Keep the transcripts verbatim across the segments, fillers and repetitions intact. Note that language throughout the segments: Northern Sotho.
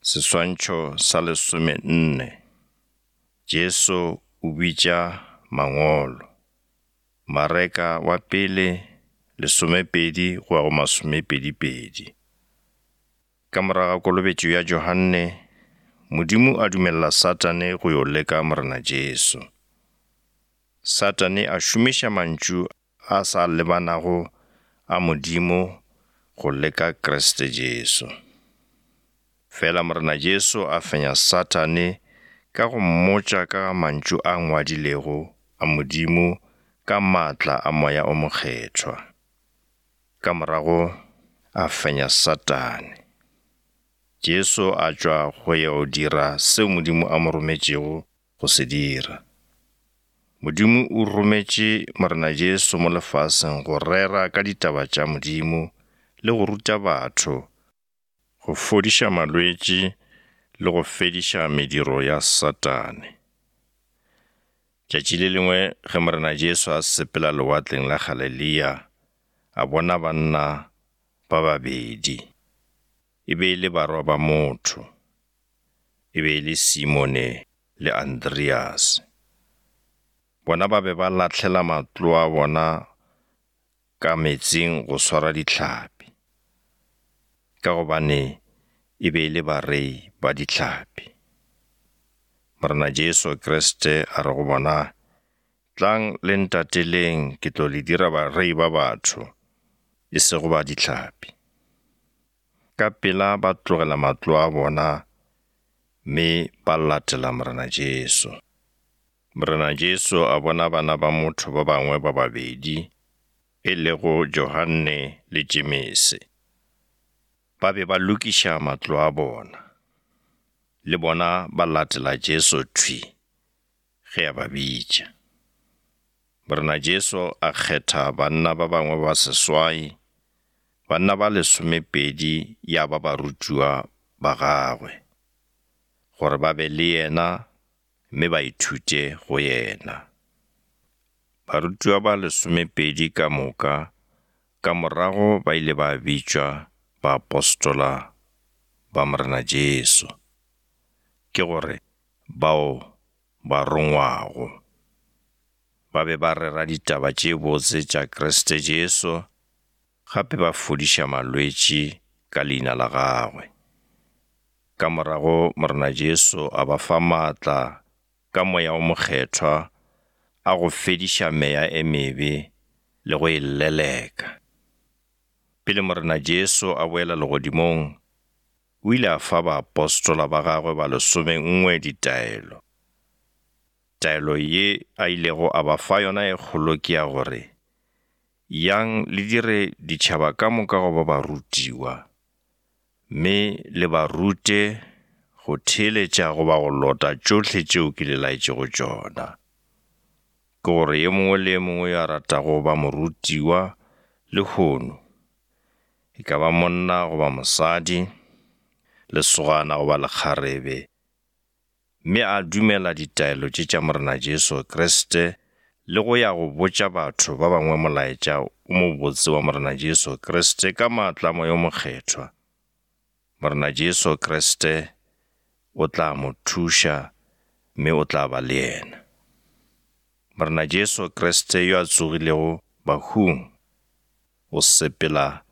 Seswantšho sa lesomenne. Jesu o bitša mangolo. Mareka wa pele lesomepedi go ya go masomepedi-pedi. Ka morago ga kolobetšo ya Johanne, Modimo a dumelela Satane go yo leka Morena Jesu. Satane a šomiša mantšu a sa lebanago a Modimo go leka Kriste Jesu. Fela Morena Jesu a fenya Satane ka go mmotša ka ga mantšu a ngwadilego a Modimo ka maatla a Moya o Mokgethwa. Ka morago a fenya Satane. Jesu a tšwa go yo dira seo Modimo a mo rometšego go se dira. Modimo o rometše Morena Jesu mo lefaseng go rera ka ditaba tša Modimo le go ruta batho, go fodiša malwetši le go fediša mediro ya Satane. Tšatši le lengwe ge Morena Jesu a sepela lewatleng la Galilea, a bona banna ba babedi. E be e le barwa ba motho. E be e le Simone le Andreas. Bona ba be ba lahlela matloa a bona ka meetseng go swara dihlapi, ka gobane e be e le barei ba dihlapi. Morena Jesu Kriste a re go bona, "Tlang le ntateleng, ke tlo le dira barei ba batho, e sego ba dihlapi." Ka pela ba tlogela matloa a bona mme ba latela Morena Jesu. Morena Jesu a bona bana ba motho ba bangwe ba babedi, e lego Johanne le Jemese. Ba be ba lokiša matlo a bona. Le bona ba latela Jesu thwi ge a ba bitša. Morena Jesu a kgetha banna ba bangwe ba seswai, banna ba lesomepedi ya ba barutiwa ba gagwe, gore ba be le yena mme ba ithute go yena. Barutiwa ba lesomepedi ka moka ka morago ba ile ba bitšwa baapostola ba Morena Jesu, ke gore bao ba rongwago. Ba be ba rera ditaba tše botse tša Kriste Jesu, gape ba fodiša malwetši ka leina la gagwe. Ka morago Morena Jesu a ba fa maatla ka Moya o Mokgethwa a go fediša meya e mebe le go e leleka. Pele Morena Jesu a boela legodimong, o ile a fa baapostola ba gagwe ba lesomengwe ditaelo. Taelo ye a ilego a ba fa yona e kgolo ke ya gore, yang le dire ditšhaba ka moka go ba barutiwa, mme le ba rute go theeletša goba go lota tšohle tšeo ke le laetšego tšona. Ke gore ye mongwe le ye mongwe yo a ratago go ba morutiwa lehono, e ka ba monna goba mosadi, lesogana goba lekgarebe, mme a dumela ditaelo tše tša Morena Jesu Kriste le go ya go botša batho ba bangwe molaetša o mobotse wa Morena Jesu Kriste ka maatla a Moya o Mokgethwa, Morena Jesu Kriste o tla mo thuša mme o tla ba le yena. Morena Jesu Kriste yo a tsogilego bahung o sepela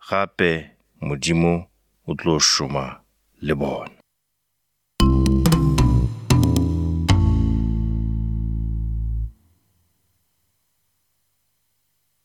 gape Modimo o tlo šoma le bona.